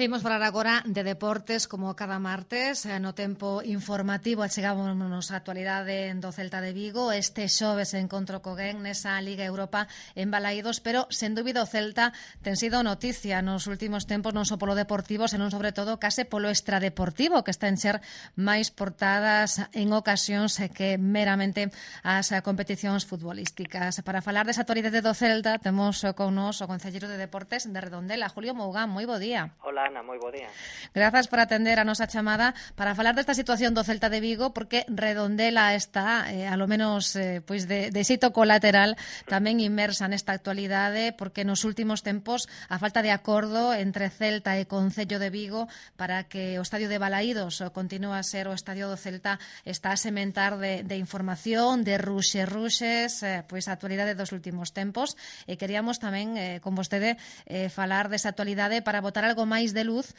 Imos falar agora de deportes como cada martes, no tempo informativo achegámonos a actualidade do Celta de Vigo. Este xoves encontro co Genk nesa Liga Europa en Balaídos, pero sen dúbida o Celta ten sido noticia nos últimos tempos, non só polo deportivo, senón sobre todo case polo extradeportivo, que está en ser máis portadas en ocasións que meramente as competicións futbolísticas. Para falar desa actualidade do Celta, temos con nos o concelleiro de Deportes de Redondela, Julio Mougán. Moi bo día. Hola, Ana, moi bo día. Grazas por atender a nosa chamada para falar desta situación do Celta de Vigo, porque Redondela está, alo menos pois de xeito colateral, tamén inmersa nesta actualidade, porque nos últimos tempos a falta de acordo entre Celta e Concello de Vigo para que o estadio de Balaídos continúe a ser o estadio do Celta está a sementar de información, de ruxes, pois a actualidade dos últimos tempos, e queríamos tamén con vostede falar desa actualidade para botar algo máis de luz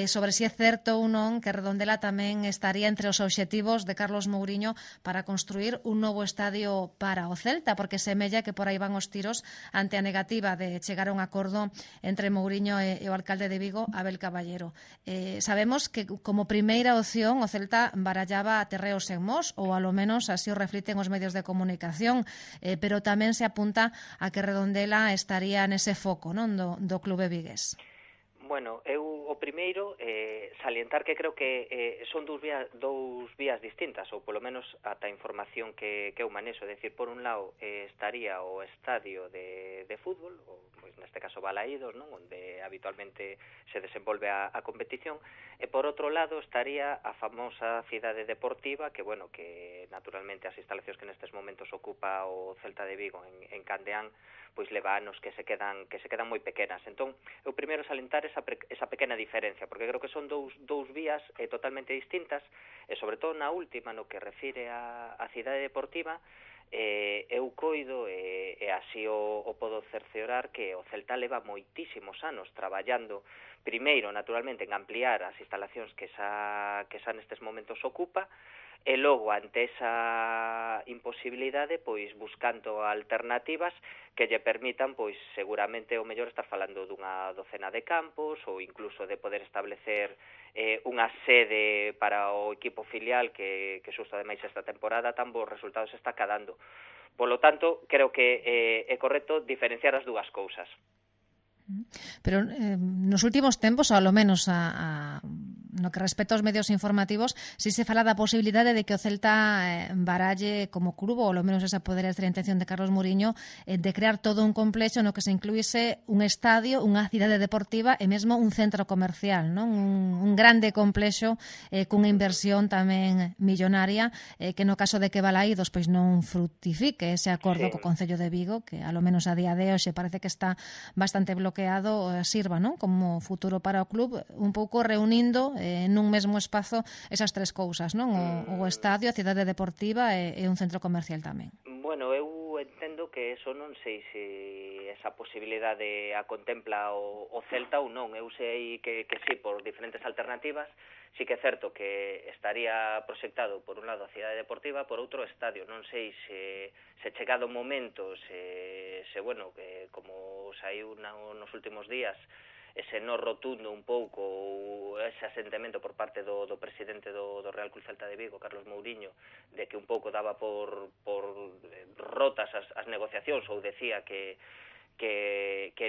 sobre se é certo ou non que Redondela tamén estaría entre os obxectivos de Carlos Mouriño para construir un novo estadio para o Celta, porque semella que por aí van os tiros ante a negativa de chegar a un acordo entre Mouriño e o alcalde de Vigo, Abel Caballero. Sabemos que como primeira opción o Celta barallaba terreos en Mos, ou alo menos así o refliten os medios de comunicación, pero tamén se apunta a que Redondela estaría nese foco, non, do clube vigués. Bueno, eu o primeiro salientar que creo que son dous vías distintas, ou polo menos ata a información que eu manexo, é dicir, por un lado estaría o estadio de fútbol, ou pois neste caso Balaídos, non, onde habitualmente se desenvolve a competición, e por outro lado estaría a famosa cidade deportiva, que bueno, que naturalmente as instalacións que nestes momentos ocupa o Celta de Vigo en Candeán, pois leva anos que se quedan moi pequenas. Entón, eu primeiro salientar esa pequena diferencia, porque creo que son dous vías totalmente distintas, e sobre todo na última, no que refire a cidade deportiva, eu coido e así o podo cerciorar que o Celta leva moitísimos anos traballando primeiro, naturalmente, en ampliar as instalacións que xa nestes momentos ocupa, e logo, ante esa imposibilidade, pois buscando alternativas que lle permitan, pois seguramente o mellor estar falando dunha docena de campos ou incluso de poder establecer unha sede para o equipo filial que xusto ademais esta temporada tan bons resultados está cadando. Polo tanto, creo que é correcto diferenciar as dúas cousas. Pero nos últimos tempos, ou ao menos no que respecta aos medios informativos, si se fala da posibilidade de que o Celta baralle como club, ou ao menos esa podería ser a intención de Carlos Mouriño, de crear todo un complexo no que se incluíse un estadio, unha cidade deportiva e mesmo un centro comercial, non? Un grande complexo cunha inversión tamén millonaria, que no caso de que Balaídos pois non fructifique ese acordo co Concello de Vigo, que ao menos a día de hoxe parece que está bastante bloqueado, sirva, non, como futuro para o club, un pouco reunindo nun mesmo espazo esas tres cousas, non? O estadio, a cidade deportiva e un centro comercial tamén. Bueno, eu entendo que eso non sei se esa posibilidade a contempla o Celta ou non. Eu sei que sí, por diferentes alternativas, sí que é certo que estaría proxectado por un lado a cidade deportiva, por outro estadio. Non sei se chegado o momento, se bueno, que como saiu nos últimos días, ese no rotundo un pouco, ou ese asentamento por parte do presidente do Real Club Celta de Vigo, Carlos Mouriño, de que un pouco daba por rotas as negociacións, ou decía que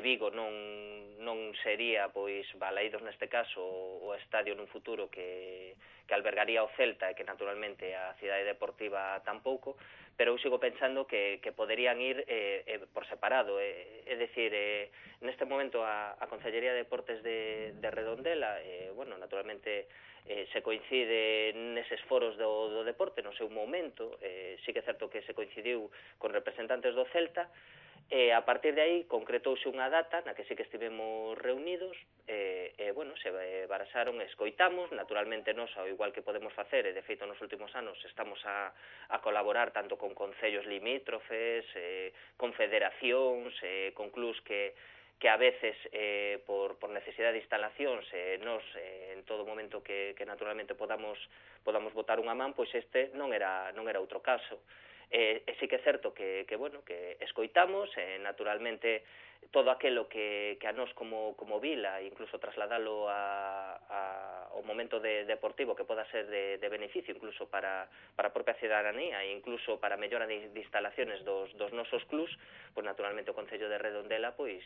Vigo non sería, pois, Balaídos neste caso, o estadio nun futuro que albergaría o Celta e que naturalmente a cidade deportiva tampouco, pero eu sigo pensando que poderían ir por separado, é dicir, neste momento a Concellería de Deportes de Redondela, bueno, naturalmente se coincide neses foros do deporte no seu momento, sí que é certo que se coincidiu con representantes do Celta, e a partir de aí concretouse unha data na que sí que estivemos reunidos, bueno, se baraxaron, escoitamos, naturalmente nós, ao igual que podemos facer, e de feito nos últimos anos estamos a colaborar tanto con concellos limítrofes, con federacións, con clubs que a veces por necesidade de instalacións nos en todo momento que naturalmente podamos botar unha man, pois este non era outro caso. E sí que é certo que bueno, que escoitamos, naturalmente todo aquilo que a nós como vila, incluso trasladalo ao momento deportivo que poda ser de beneficio incluso para a propia cidadanía e incluso para a mellora de instalaciones dos nosos clubs, pois naturalmente o Concello de Redondela pois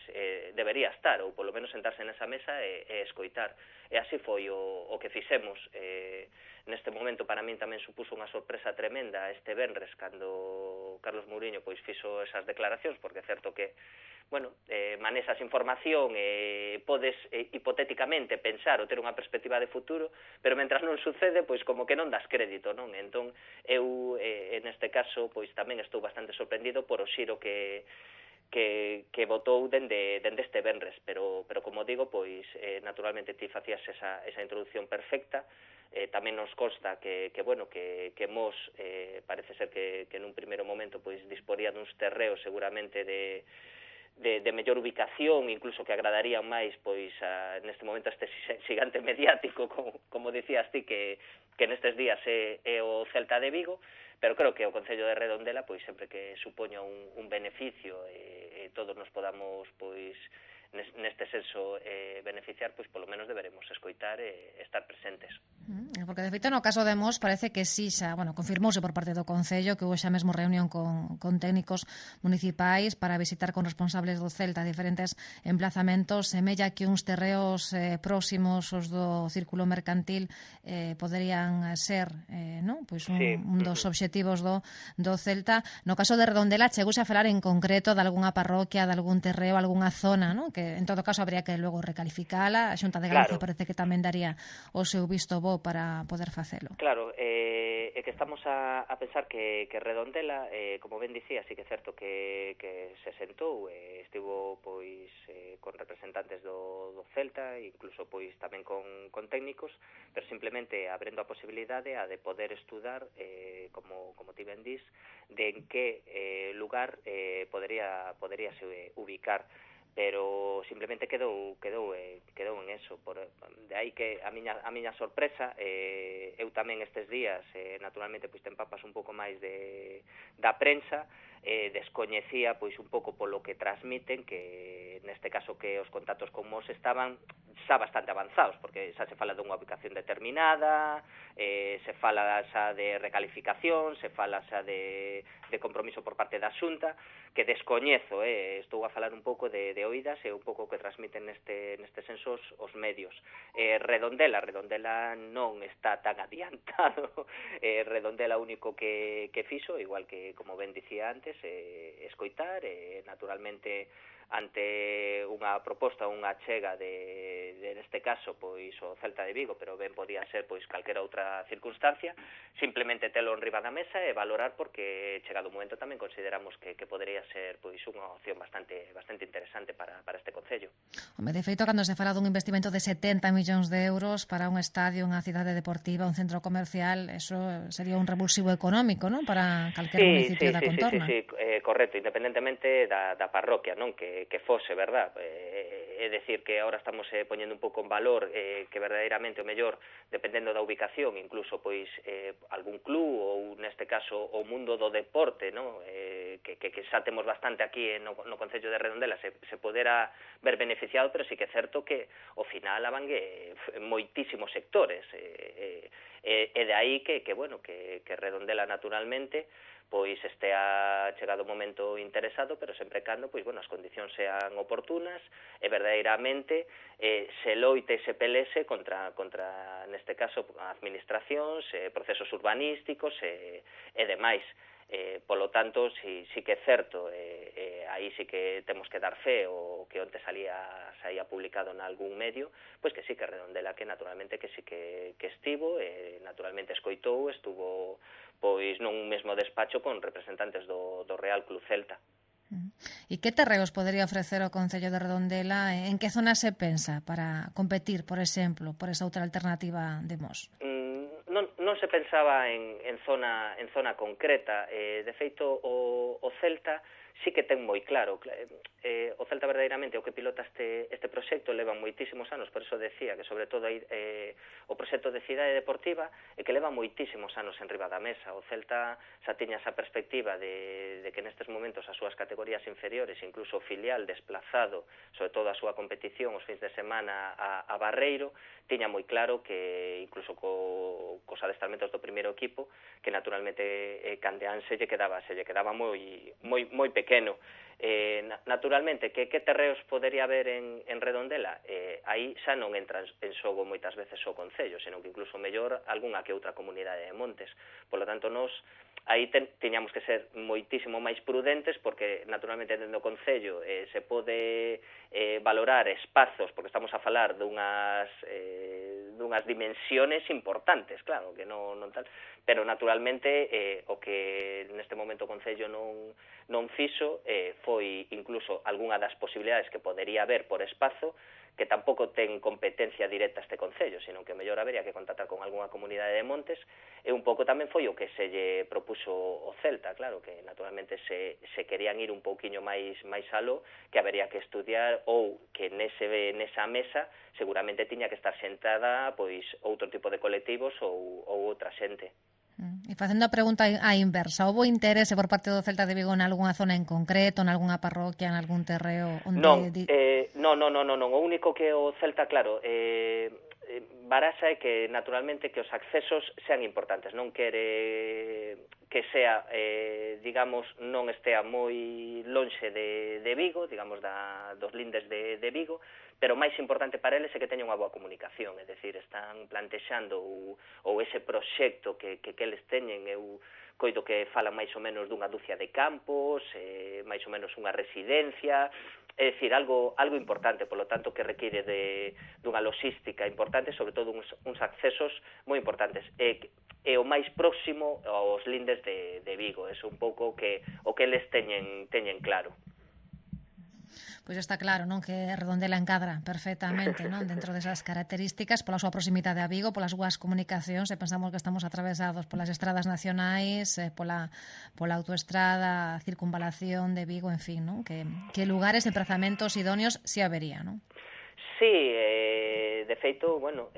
debería estar, ou polo menos sentarse nesa mesa e escoitar. E así foi o que fixemos. Neste momento para min tamén supuso unha sorpresa tremenda este venres cando Carlos Mouriño pois fixo esas declaracións, porque é certo que manexas información e podes hipotéticamente pensar ou ter unha perspectiva de futuro, pero mentras non sucede, pois como que non das crédito, non? Entón, eu, neste caso, pois tamén estou bastante sorprendido por o xiro que votou dende este venres, pero como digo, pois naturalmente ti facías esa introducción perfecta. Tamén nos consta que Mos parece ser que nun primeiro momento pois disporía duns terreos seguramente de mellor ubicación, incluso que agradarían máis pois neste momento este xigante mediático, como dicías ti, que nestes días é o Celta de Vigo, pero creo que o Concello de Redondela, pois sempre que supoña un beneficio e todos nos podamos pois neste senso beneficiar, pois polo menos deberemos escoitar e estar presentes. Porque de feito no caso de Mos parece que sí, confirmouse por parte do Concello que houve xa mesmo reunión con técnicos municipais para visitar con responsables do Celta diferentes emplazamentos. Semella que uns terreos próximos os do círculo mercantil poderían ser pois un dos obxectivos do Celta. No caso de Redondela chegouse a falar en concreto de algunha parroquia, de algún terreo, algunha zona, que en todo caso habría que logo recalificala. A Xunta de Galicia parece que tamén daría o seu visto bo para poder facelo. Claro, é que estamos a pensar que Redondela, como ben dicía, sí que é certo que se sentou, estivo pois con representantes do Celta, incluso pois tamén con técnicos, pero simplemente abrindo a posibilidade de poder estudar, como ti ben dís, de en que lugar podería se ubicar, pero simplemente quedou en eso. De aí que a miña sorpresa, eu tamén estes días naturalmente pois te empapas un pouco máis da prensa, descoñecía pois un pouco polo que transmiten, que neste caso que os contactos con Mos estaban xa bastante avanzados, porque xa se fala dunha ubicación determinada, se fala xa de recalificación, se fala xa de compromiso por parte da Xunta, que descoñezo, estou a falar un pouco de oídas e un pouco que transmiten neste senso os medios. Redondela non está tan adiantado. Redondela único que fixo, igual que como ben dicía antes, escoitar, naturalmente ante unha proposta, unha achega neste caso, pois o Celta de Vigo, pero ben podía ser pois calquera outra circunstancia, simplemente telo enriba da mesa e valorar, porque chegado o momento tamén consideramos que podería ser pois unha opción bastante interesante para este concello. De feito, cando se fala dun investimento de 70 millóns de euros para un estadio, unha cidade deportiva, un centro comercial, eso sería un revulsivo económico, non? Para calquer municipio da contorna. Sí, correcto, independentemente da parroquia, non? Que fose, verdad? É decir, que ahora estamos poñendo un pouco en valor que verdadeiramente o mellor, dependendo da ubicación, incluso pois algún club ou neste caso o mundo do deporte, non? Que xa temos bastante aquí no Concello de Redondela, se podera ver beneficiado, pero sí que é certo que ao final abangue moitísimos sectores, e de aí que Redondela naturalmente pois estea chegado o momento interesado, pero sempre cando as condicións sean oportunas e verdadeiramente se loite e se pelese contra neste caso administracións, procesos urbanísticos e demais. Polo tanto, si que é certo, aí sí que temos que dar fe o que onte saía publicado en algún medio, pois que sí que Redondela, que naturalmente que sí que estivo, naturalmente escoitou, estuvo pois nun mesmo despacho con representantes do Real Club Celta. E que terreos podería ofrecer o Concello de Redondela? En que zona se pensa para competir, por exemplo, por esa outra alternativa de Mos? Non se pensaba en zona concreta. De feito, o Celta sí que ten moi claro. O Celta verdadeiramente o que pilota este proxecto leva moitísimos anos, por eso decía que sobre todo o proxecto de cidade deportiva é que leva moitísimos anos en riba da mesa. O Celta xa tiña esa perspectiva de que nestes momentos as súas categorías inferiores, incluso o filial desplazado, sobre todo a súa competición os fins de semana a Barreiro, tiña moi claro que incluso cos adestramentos do primeiro equipo, que naturalmente Candeán se lle quedaba moi pequeno. Naturalmente, que terreos podería haber en Redondela? Aí xa non entra en xogo moitas veces o Concello, senón que incluso mellor algunha que outra comunidade de montes. Por lo tanto, nós aí tiñamos que ser moitísimo máis prudentes, porque naturalmente dentro do Concello se pode valorar espazos, porque estamos a falar dunhas dimensiones importantes, claro, que non tal, pero naturalmente o que neste momento o Concello non fixo foi incluso algunha das posibilidades que podería haber por espazo, que tampouco ten competencia directa este Concello, senón que mellor habería que contactar con algunha comunidade de montes, e un pouco tamén foi o que se lle propuso o Celta, claro, que naturalmente se querían ir un pouquiño máis aló, que habería que estudiar, ou que nesa mesa seguramente tiña que estar sentada pois outro tipo de colectivos ou outra xente. E facendo a pregunta á inversa, houbo interese por parte do Celta de Vigo en algunha zona en concreto, en algunha parroquia, en algún terreo? Non, o único que o Celta, claro, baraxa é que naturalmente que os accesos sean importantes, non quere que sea, digamos, non estea moi lonxe de Vigo, digamos, dos lindes de Vigo, pero máis importante para eles é que teña unha boa comunicación, é dicir, están plantexando ou ese proxecto que eles teñen, eu coido que falan máis ou menos dunha dúcia de campos, máis ou menos unha residencia, é dicir, algo importante, polo tanto, que require dunha logística importante, sobre todo uns accesos moi importantes, e o máis próximo aos lindes de Vigo, é un pouco o que eles teñen claro. Pois está claro, non, que Redondela encadra perfectamente, non, dentro desas características, pola súa proximidade a Vigo, polas súas comunicacións, e pensamos que estamos atravesados polas estradas nacionais, pola autoestrada, circunvalación de Vigo, en fin, non, que lugares, emprazamentos idóneos si habería, non? Sí, de feito, bueno,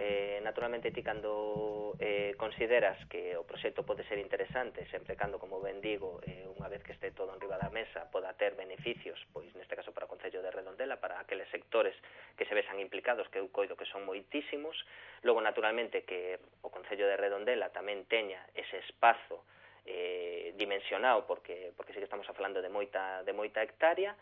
naturalmente ti cando consideras que o proxecto pode ser interesante, sempre cando, como ben digo, unha vez que este todo en riba da mesa poda ter beneficios, pois neste caso para o Concello de Redondela, para aqueles sectores que se vexan implicados, que eu coido que son moitísimos, logo naturalmente que o Concello de Redondela tamén teña ese espazo dimensionado, porque sí que estamos falando de moita hectárea.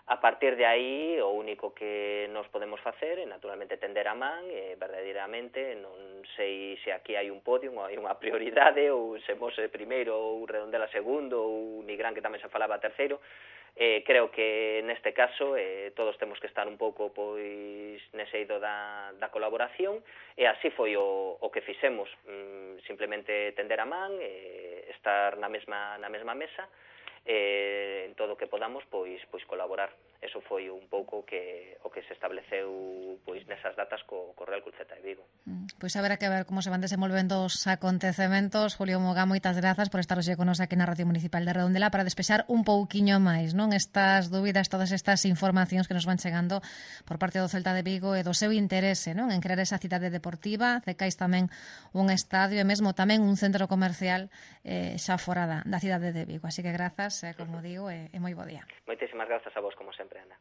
A partir de aí, o único que nos podemos facer é, naturalmente, tender a man, verdadeiramente, non sei se aquí hai un podio, ou hai unha prioridade, ou se Mose primeiro, ou Redondela segundo, ou Nigrán, que tamén se falaba terceiro. Creo que neste caso todos temos que estar un pouco pois nese eido da colaboración, e así foi o que fixemos, simplemente tender a man, estar na mesma mesa, en todo o que podamos pois colaborar. Eso foi un pouco o que se estableceu pois nesas datas co Real Club Celta de Vigo. Pois haberá que ver como se van desenvolvendo os acontecementos. Julio Mogá, moitas grazas por estar hoxe con nos aquí na Radio Municipal de Redondela para despexar un pouquiño máis, non, estas dúbidas, todas estas informacións que nos van chegando por parte do Celta de Vigo e do seu interese, non, en crear esa cidade deportiva, cecais tamén un estadio e mesmo tamén un centro comercial xa fora da cidade de Vigo. Así que grazas, como digo, e moi bo día. Moitísimas grazas a vos, como sempre, Ana.